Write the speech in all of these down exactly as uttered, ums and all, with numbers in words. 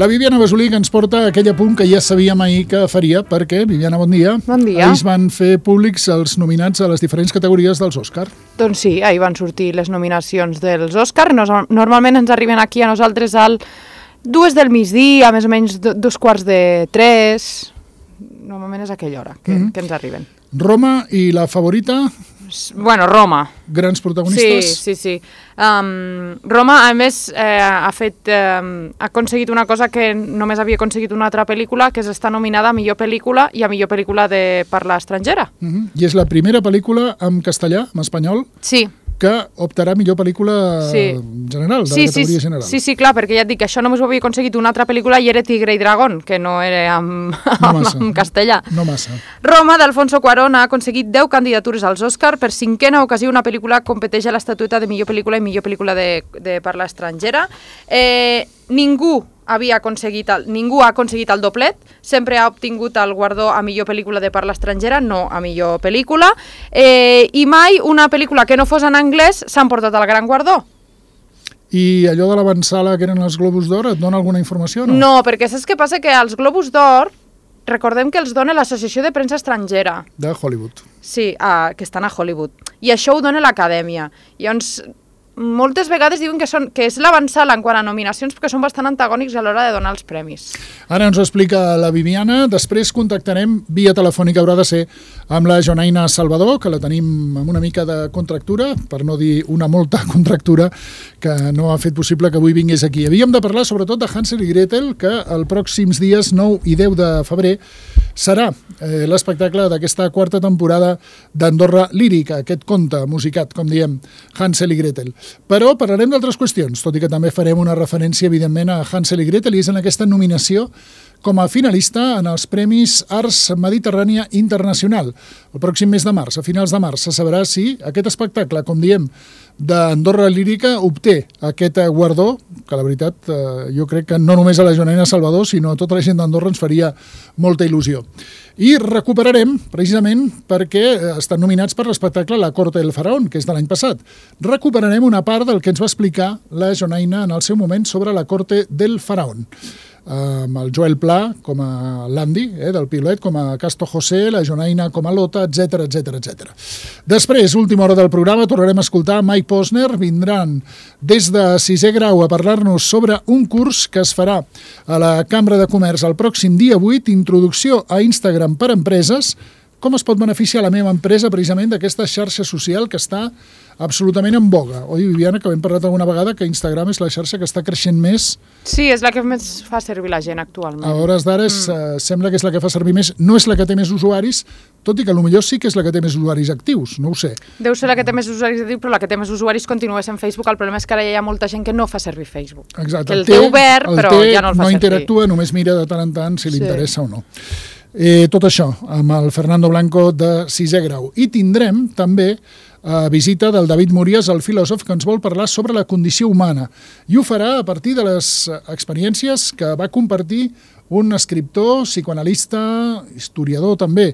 La Viviana Basolí, que ens porta aquell apunt que ja sabíem ahir que faria, perquè, Viviana, bon dia. Bon dia. Ahir es van fer públics els nominats a les diferents categories dels Òscar. Doncs sí, ahir van sortir les nominacions dels Òscar. Normalment ens arriben aquí a nosaltres al dues del migdia, més o menys dos quarts de tres. Normalment és aquella hora que, mm-hmm. que ens arriben. Roma i la favorita... Bueno, Roma. Grans protagonistes? Sí, sí, sí. Um, Roma, a més, eh, ha fet, eh, ha aconseguit una cosa que només havia aconseguit una altra pel·lícula, que és estar nominada a millor pel·lícula i a millor pel·lícula de parla estrangera. Uh-huh. I és la primera pel·lícula en castellà, en espanyol? Sí. Que optarà millor pel·lícula sí. general, de sí, la categoria sí, general. Sí, sí, clar, perquè ja et dic que això només ho havia aconseguit una altra pel·lícula i era Tigre i Dragón, que no era en, no en, en castellà. No massa. Roma, d'Alfonso Cuarón, ha aconseguit deu candidatures als Òscar. Per cinquena ocasió una pel·lícula competeix a l'estatueta de millor pel·lícula i millor pel·lícula de, de parla estrangera. Eh, ningú havia aconseguit el, ningú ha aconseguit el doblet, sempre ha obtingut el guardó a millor pel·lícula de parla estrangera, no a millor pel·lícula, eh, i mai una pel·lícula que no fos en anglès s'ha emportat el gran guardó. I allò de l'avantsala que eren els Globus d'Or, et dona alguna informació o no? No, perquè saps què passa? Que els Globus d'Or, recordem que els dona l'Associació de Premsa Estrangera. De Hollywood. Sí, uh, que estan a Hollywood. I això ho dona l'Acadèmia. Llavors, moltes vegades diuen que, són, que és l'avantsala en quant a nominacions perquè són bastant antagònics a l'hora de donar els premis. Ara ens ho explica la Viviana, després contactarem via telefònica, haurà de ser amb la Jonaina Salvador, que la tenim amb una mica de contractura, per no dir una molta contractura, que no ha fet possible que avui vingués aquí. Havíem de parlar sobretot de Hansel i Gretel, que els pròxims dies nou i deu de febrer serà eh, l'espectacle d'aquesta quarta temporada d'Andorra Lírica, aquest conte musicat, com diem, Hansel i Gretel. Però parlarem d'altres qüestions, tot i que també farem una referència, evidentment, a Hansel i Gretel, i és en aquesta nominació com a finalista en els Premis Arts Mediterrània Internacional. El pròxim mes de març, a finals de març, se sabrà si aquest espectacle, com diem, d'Andorra Lírica obté aquest guardó, que la veritat eh, jo crec que no només a la Jonaina Salvador, sinó a tota la gent d'Andorra ens faria molta il·lusió. I recuperarem, precisament, perquè estan nominats per l'espectacle La Corte del Faraón, que és de l'any passat. Recuperarem una part del que ens va explicar la Jonaina en el seu moment sobre La Corte del Faraón. Amb el Joel Pla com a l'Andy, eh, del piulet, com a Casto José, la Jonaina com a Lota, etcètera, etcètera, etcètera. Després, última hora del programa, tornarem a escoltar Mike Posner. Vindran des de sisè grau a parlar-nos sobre un curs que es farà a la Cambra de Comerç el pròxim dia vuit, introducció a Instagram per empreses. Com es pot beneficiar la meva empresa precisament d'aquesta xarxa social que està absolutament en boga. Oi, Viviana, que hem parlat alguna vegada que Instagram és la xarxa que està creixent més. Sí, és la que més fa servir la gent actualment. A hores d'ara mm. eh, sembla que és la que fa servir més. No és la que té més usuaris, tot i que potser sí que és la que té més usuaris actius, no ho sé. Deu ser la que té més usuaris actius, però la que té més usuaris continua sent Facebook. El problema és que ara hi ha molta gent que no fa servir Facebook. Exacte. Que el té, té obert, el però té, ja no el fa no servir. No interactua, només mira de tant en tant si li sí. interessa o no. Eh, tot això amb el Fernando Blanco de sisè grau. I tindrem també eh, visita del David Mories, el filòsof, que ens vol parlar sobre la condició humana. I ho farà a partir de les experiències que va compartir un escriptor, psicoanalista, historiador també,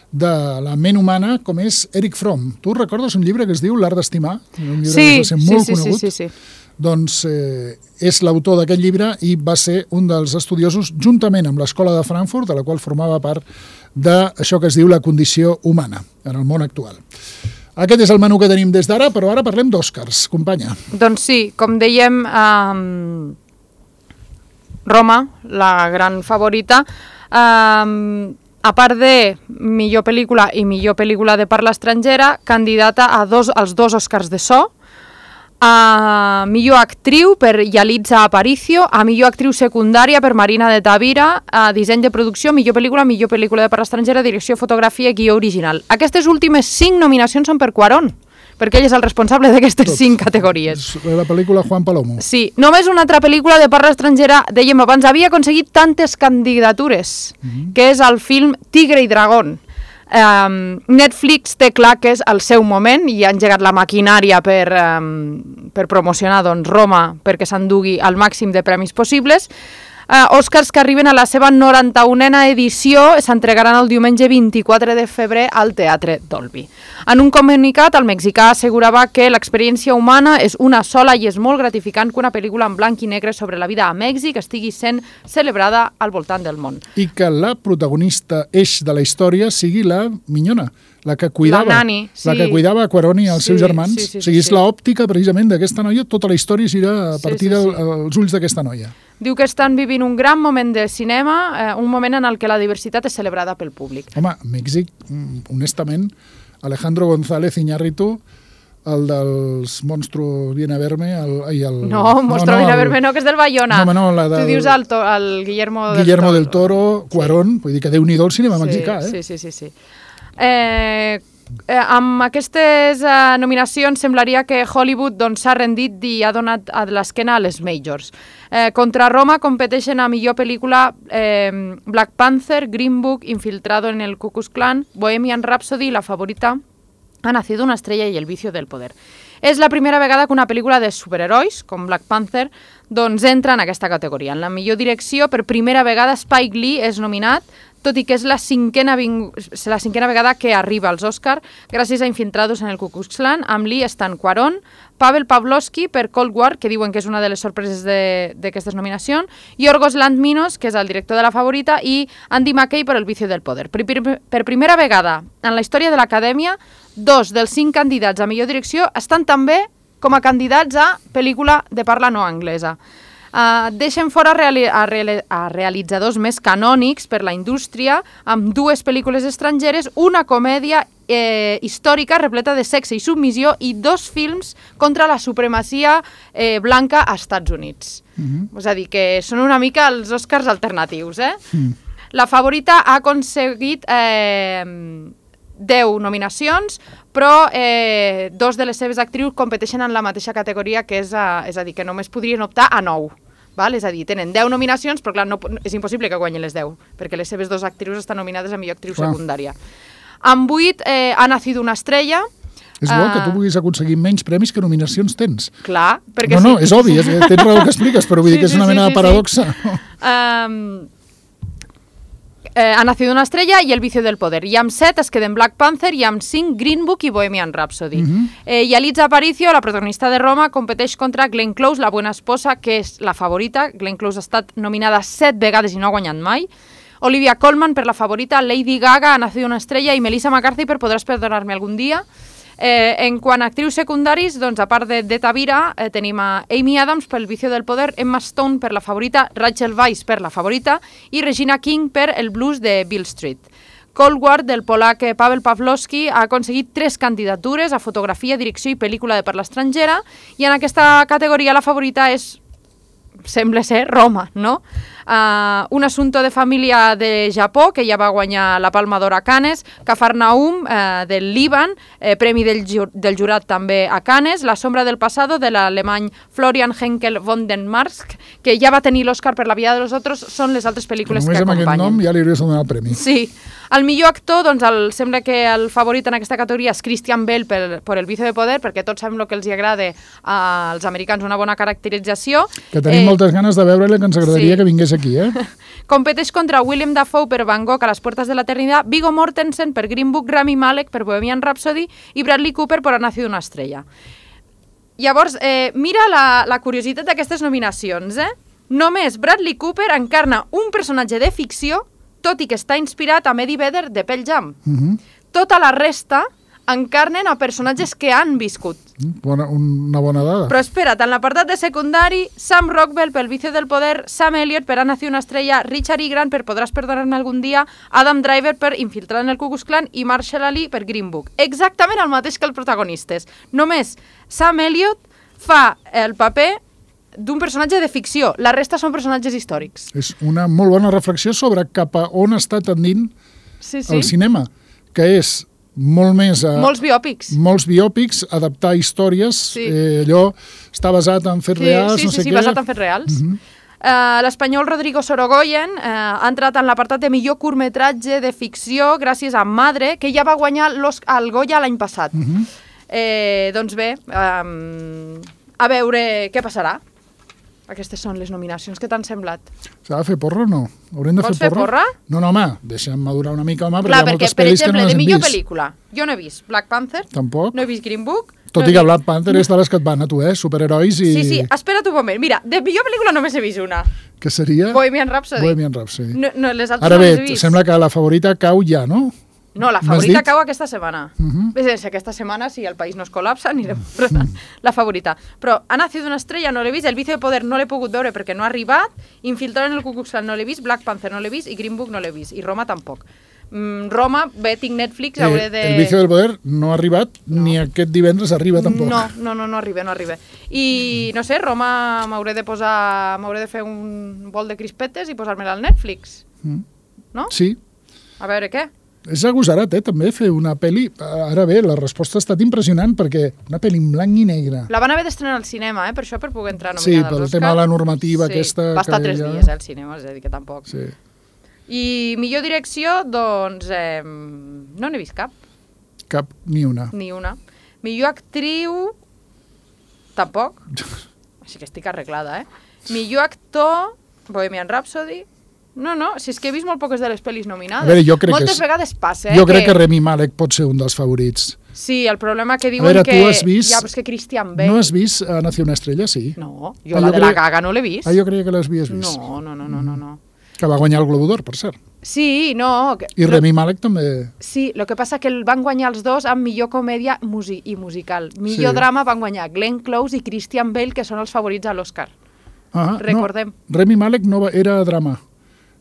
de la ment humana, com és Eric Fromm. Tu recordes un llibre que es diu L'art d'estimar? Un llibre sí, que va ser molt sí, conegut. Sí, sí, sí. Doncs eh, és l'autor d'aquest llibre i va ser un dels estudiosos, juntament amb l'Escola de Frankfurt, de la qual formava part d'això que es diu la condició humana en el món actual. Aquest és el menú que tenim des d'ara, però ara parlem d'Òscars. Companya. Doncs sí, com dèiem, um, Roma, la gran favorita, um, a part de millor pel·lícula i millor pel·lícula de parla estrangera, candidata a dos, als dos Òscars de so, a millor actriu per Yalitza Aparicio, a millor actriu secundària per Marina de Tavira, a disseny de producció, millor pel·lícula, millor pel·lícula de parla estrangera, direcció, fotografia i guió original. Aquestes últimes cinc nominacions són per Cuarón, perquè ell és el responsable d'aquestes cinc categories. La pel·lícula Juan Palomo. Sí, només una altra pel·lícula de parla estrangera, dèiem abans, havia aconseguit tantes candidatures, uh-huh. que és el film Tigre i Dragón. Um, Netflix té clar que és el seu moment i ha engegat la maquinària per, um, per promocionar doncs, Roma perquè s'endugui el màxim de premis possibles. Uh, Oscars que arriben a la seva noranta-unena edició s'entregaran el diumenge vint-i-quatre de febrer al Teatre Dolby. En un comunicat, el mexicà assegurava que l'experiència humana és una sola i és molt gratificant que una pel·lícula en blanc i negre sobre la vida a Mèxic estigui sent celebrada al voltant del món. I que la protagonista eix de la història sigui la minyona, la que cuidava, la, nani, sí. la que cuidava a Cuarón i els sí, seus germans. Sí, sí, sí, o sigui, és sí. l'òptica precisament d'aquesta noia, tota la història gira a partir sí, sí, sí. dels ulls d'aquesta noia. Diu que estan vivint un gran moment de cinema, eh, un moment en el que la diversitat és celebrada pel públic. Home, Mèxic, honestament, Alejandro González Iñárritu, el dels Monstruos Viene a Verme... El, i el, no, Monstruo no, no, Viene a Verme no, que és del Bayona. No, no, la del, tu dius el, to, el Guillermo, Guillermo del Toro. del Toro, Cuarón, sí. Vull dir que Déu-n'hi-do el cinema sí, mexicà, eh? Sí, sí, sí, sí. Eh... Eh, amb aquestes eh, nominacions semblaria que Hollywood doncs, s'ha rendit i ha donat a l'esquena a les majors. Eh, contra Roma competeixen a millor pel·lícula eh, Black Panther, Green Book, Infiltrado en el Ku Klux Klan, Bohemian Rhapsody, La Favorita, Ha nacido una estrella i El vicio del poder. És la primera vegada que una pel·lícula de superherois, com Black Panther, doncs entra en aquesta categoria. En la millor direcció, per primera vegada Spike Lee és nominat, tot i que és la cinquena, la cinquena vegada que arriba als Oscar, gràcies a Infiltrados en el Ku Klux Klan. Amb Lee estan Cuarón, Pavel Pavlovsky per Cold War, que diuen que és una de les sorpreses d'aquestes nominacions, Yorgos Lanthimos, que és el director de La Favorita, i Andy McKay per El vicio del poder. Per, per, per primera vegada en la història de l'Acadèmia, dos dels cinc candidats a millor direcció estan també com a candidats a pel·lícula de parla no anglesa. Uh, deixen fora reali a, reali a realitzadors més canònics per la indústria, amb dues pel·lícules estrangeres, una comèdia eh, històrica repleta de sexe i submissió i dos films contra la supremacia eh, blanca als Estats Units. Mm-hmm. És a dir, que són una mica els Oscars alternatius, eh? Mm. La Favorita ha aconseguit eh, deu nominacions, però eh, dos de les seves actrius competeixen en la mateixa categoria, que és a, és a dir, que només podrien optar a nou. Val? És a dir, tenen deu nominacions, però clar, no, és impossible que guanyin les deu, perquè les seves dues actrius estan nominades a millor actriu clar. secundària. Amb vuit eh, Ha nacido una estrella. És bo uh, que tu puguis aconseguir menys premis que nominacions tens. Clar, perquè no, sí. No, és obvi, és, tens raó que expliques, però vull sí, dir que és una sí, mena sí, de paradoxa. Sí. Um, Eh, Ha nacido una estrella i El vicio del poder. I amb set es queden Black Panther i amb cinc Green Book i Bohemian Rhapsody. Uh-huh. eh, I Yalitza Aparicio, la protagonista de Roma, competeix contra Glenn Close, la buena esposa, que és La Favorita. Glenn Close ha estat nominada set vegades i no ha guanyat mai. Olivia Colman per La Favorita, Lady Gaga, Ha nacido una estrella, i Melissa McCarthy per Podràs perdonarme algun dia. Eh, en quant a actrius secundaris, doncs, a part de, de Tavira, eh, tenim a Amy Adams per El vicio del poder, Emma Stone per La Favorita, Rachel Weisz per La Favorita i Regina King per El blues de Beale Street. Cold War, del polac Pavel Pavlovsky, ha aconseguit tres candidatures a fotografia, direcció i pel·lícula de parla estrangera, i en aquesta categoria La Favorita és, sembla ser, Roma, no? Uh, un assunto de família de Japó, que ja va guanyar la Palma d'Or a Cannes, Cafarnaum, uh, del Líban, eh, premi del, ju del jurat també a Cannes, La sombra del pasado, de l'alemany Florian Henkel von den Marsk, que ja va tenir l'Oscar per La vida de los otros, són les altres pel·lícules que, que acompanyen. Només amb aquest nom ja li hauries de donar el premi. Sí. El millor actor, doncs, el, sembla que el favorit en aquesta categoria és Christian Bale per, per El vicio de poder, perquè tots sabem el que els agrada als americans, una bona caracterització. Que tenim eh, moltes ganes de veure-la, que ens agradaria sí. que vingués aquí, eh? Competeix contra William Dafoe per Van Gogh a les puertas de l'eternitat, Viggo Mortensen per Green Book, Rami Malek per Bohemian Rhapsody i Bradley Cooper per Ha nacido una estrella. Llavors, eh, mira la, la curiositat d'aquestes nominacions, eh? Només Bradley Cooper encarna un personatge de ficció, tot i que està inspirat a Eddie Vedder de Pearl Jam. Uh-huh. Tota la resta encarnen a personatges que han viscut. Bona, una bona dada. Però espera't, en l'apartat de secundari, Sam Rockwell per El vicio del poder, Sam Elliott per Ha nacido una estrella, Richard E. Grant per Podràs perdonarme algun dia, Adam Driver per Infiltrat en el Ku Klux Klan i Marshall Ali per Green Book. Exactament el mateix que els protagonistes. Només Sam Elliott fa el paper d'un personatge de ficció. La resta són personatges històrics. És una molt bona reflexió sobre cap a on està tendint sí, sí. el cinema, que és molt més... A, molts biòpics. Molts biòpics, adaptar històries, sí. eh, allò està basat en fets sí, reals, sí, no sí, sé sí, què. Sí, basat en fets reals. Uh -huh. uh, L'espanyol Rodrigo Sorogoyen uh, ha entrat en l'apartat de millor curtmetratge de ficció gràcies a Madre, que ja va guanyar el Goya l'any passat. Uh -huh. eh, doncs bé, um, a veure què passarà. Aquestes són les nominacions. Què t'han semblat? S'ha de fer porra o no? Haurem de Vols fer fer porra? porra? No, no, home, deixa'm madurar una mica, home, perquè Clar, hi ha perquè, moltes per pel·lis que exemple, no les de hem millor vist. pel·lícula, jo no he vist Black Panther, Tampoc. no he vist Green Book... Tot no i he que vist- Black Panther és de les que et van a tu, eh? Superherois i... Sí, sí, espera't un moment. Mira, de millor pel·lícula només he vist una. Que seria... Bohemian Rhapsody. Bohemian Rhapsody. No, no, les altres Ara no bé, les he vist. sembla que la favorita cau ja, no? No, la M'has favorita dit? cau aquesta setmana. Uh -huh. Ves, aquesta setmana, si el país no es col·lapsa, anirem posant la favorita. Però Ha nacido una estrella no l'he vist, El vicio de poder no l'he pogut veure perquè no ha arribat, Infiltrar en el Ku Klux Klan no l'he vist, Black Panther no l'he vist i Green Book no l'he vist, i Roma tampoc. Mm, Roma, bé, tinc Netflix, hauré de... Eh, el vicio del poder no ha arribat, no. ni aquest divendres arriba tampoc. No, no, no, no arriba, no arriba. I, no sé, Roma m'hauré de posar... M'hauré de fer un bol de crispetes i posar-me-la al Netflix. Mm. No? Sí. A veure què? És agosarat, eh, també, fer una pel·li... Ara bé, la resposta ha estat impressionant, perquè una pel·li en blanc i negre... La van haver d'estrenar al cinema, eh, per això, per poder entrar Sí, nominada pel als Oscar. tema de la normativa sí, aquesta... va estar que tres ja- dies, eh, al cinema, és a dir, que tampoc. Sí. I millor direcció, doncs, eh, no n'he vist cap, Cap ni una. ni una. Millor actriu, tampoc. Així que estic arreglada, eh? Millor actor, Bohemian Rhapsody. No, no, si és que he vist molt poques de les pel·lis nominades. A veure, jo crec que Moltes és- vegades passa, eh? Jo crec que Rami Malek pot ser un dels favorits. Sí, el problema que diuen veure, que... tu has vist- Ja, però és que Christian Bale... No has vist a Nació una estrella? Sí. No, jo Ah, la jo de la creia- Gaga no l'he vist. Ah, jo creia que l'havies vist. No, no, no, no, no, no. Que va guanyar el Globo d'Or, per cert. Sí, no... Que... I Rami Malek també... Sí, el que passa que el van guanyar els dos amb millor comèdia musi i musical. Millor Sí. drama van guanyar Glenn Close i Christian Bale, que són els favorits a l'Oscar. Ah, Recordem. No, Rami Malek no va, era drama.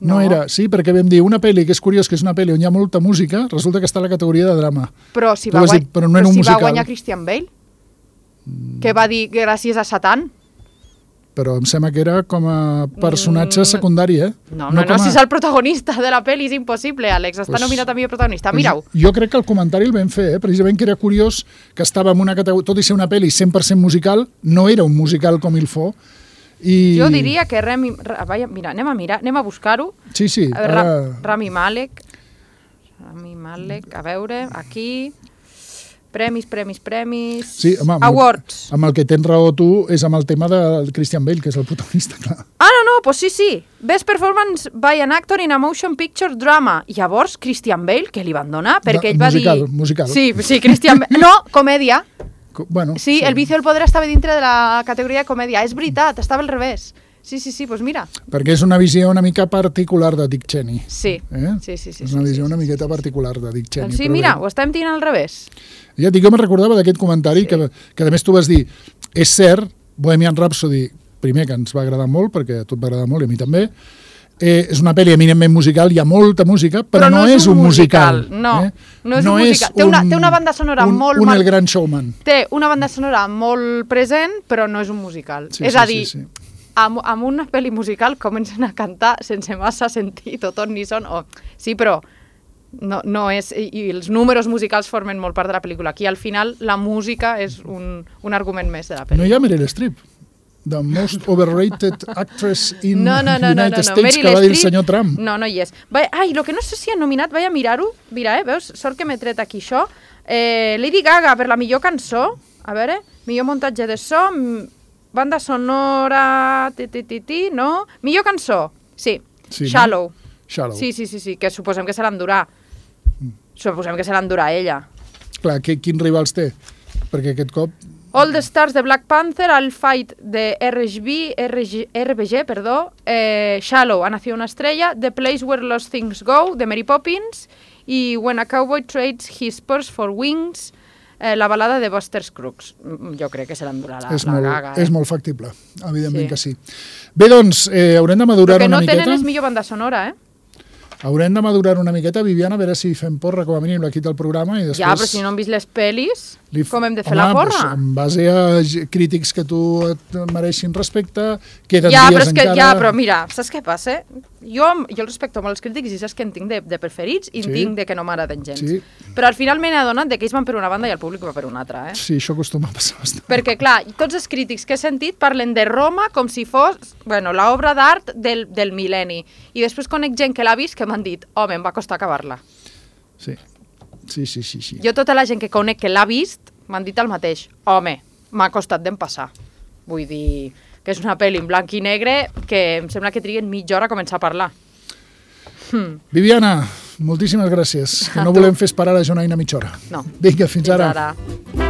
No. No. era, sí, perquè vam dir una pel·li, que és curiós, que és una pel·li on hi ha molta música, resulta que està a la categoria de drama. Però si Tu va, has guany... dit, però no era un si musical. va guanyar Christian Bale, que va dir gràcies a Satan. Però em sembla que era com a personatge Mm. secundari, eh? No, no, no, com no a- si és el protagonista de la pel·li, és impossible, Àlex. Està Pues- nominat a millor protagonista. Pues Mira-ho. Jo crec que el comentari el vam fer, eh? Precisament que era curiós que estava en una categoria, tot i ser una pel·li cent per cent musical, no era un musical com il faut. I... Jo diria que Rami... Ra- Vaja, mira, anem a mirar, anem a buscar-ho. Sí, sí, A veure, Ra ara... Rami Malek. Rami Malek, a veure, aquí... Premis, premis, premis... Sí, home, amb Awards. El, amb el que tens raó tu és amb el tema de Christian Bale, que és el protagonista, clar. Ah, no, no, pues sí, sí. Best Performance by an Actor in a Motion Picture Drama. Llavors, Christian Bale, que li van donar? Perquè Da- ell va musical, dir... musical. Sí, sí, Christian Bale... No, comèdia. Co- Bueno, Sí, El vicio del poder estava dintre de la categoria de comèdia. És veritat, estava al revés. Sí, sí, sí, doncs pues mira. Perquè és una visió una mica particular de Dick Cheney. Sí, Eh? sí, sí. sí és una sí, visió sí, una sí, miqueta sí. particular de Dick Cheney. Doncs sí, però mira, bé. ho estem tirant al revés. Ja et dic, jo me'n recordava d'aquest comentari, Sí. que, que a més tu vas dir, és cert, Bohemian Rhapsody, primer que ens va agradar molt, perquè a tu et va agradar molt i a mi també, eh, és una pel·li eminentment musical, hi ha molta música, però, no, és un musical. No, eh? no és un musical. Té una- té una banda sonora un, molt Un mar- El Gran Showman. Té una banda sonora molt present, però no és un musical. Sí, és sí, a dir, sí, sí. amb, amb una pel·li musical comencen a cantar sense massa sentit o tot ni son. O... Sí, però no, no és... I, I els números musicals formen molt part de la pel·lícula. Aquí, al final, la música és un, un argument més de la No pel·lícula. hi ha Meryl Streep, the most overrated actress in No, no, no, no, United no, no. States, Meryl que va dir el Streep- senyor Trump. No, no hi és. Va, ai, el que no sé si han nominat, vaig a mirar-ho. Mira, eh, veus? Sort que m'he tret aquí això. Eh, Lady Gaga per la millor cançó. A veure, millor muntatge de so, m- banda sonora, ti, ti, ti, ti, no? Millor cançó, sí. Sí, no? Shallow. Shallow. Sí, sí, sí, sí, que suposem que se l'endurà. Suposem que se l'endurà ella. Clar, que, quins rivals té? Perquè aquest cop... All the Stars de Black Panther, I'll Fight de R G B, R G, R B G, perdó, eh, Shallow, Ha nacido una estrella, The Place Where Lost Things Go, de Mary Poppins, i When a Cowboy Trades His Spurs for Wings, eh, la balada de Buster Scruggs. Mm, Jo crec que se l'endurà la, és, la molt, Gaga. Eh? és molt factible, evidentment Sí. que sí. Bé, doncs, eh, haurem de madurar El que una no miqueta. tenen és millor banda sonora, eh? Haurem de madurar una miqueta, Viviana, a veure si fem porra com a mínim aquí del programa i després... Ja, però si no hem vist les pel·lis, li f- com hem de fer Home, la porra? Doncs, en base a g- crítics que tu et mereixin respecte, queden Ja, però dies és que, encara... ja, però mira, saps què passa? Jo, jo el respecto molt als crítics i saps que en tinc de, de preferits i en Sí. tinc de que no m'agraden gens. Sí. Però al final m'he adonat de que ells van per una banda i el públic va per una altra, eh? Sí, això acostuma a passar bastant. Perquè, clar, tots els crítics que he sentit parlen de Roma com si fos, bueno, l'obra d'art del, del mil·lenni. I després conec gent que l'ha vist que m'han dit, home, em va costar acabar-la. Sí, sí, sí, sí. sí. Jo tota la gent que conec que l'ha vist m'han dit el mateix. Home, m'ha costat d'empassar. Vull dir, que és una pel·li en blanc i negre que em sembla que triguen mitja hora a començar a parlar. Hmm. Viviana, moltíssimes gràcies. Que no volem fer esperar la Jonaina mitja hora. No. Vinga, fins, fins ara. ara.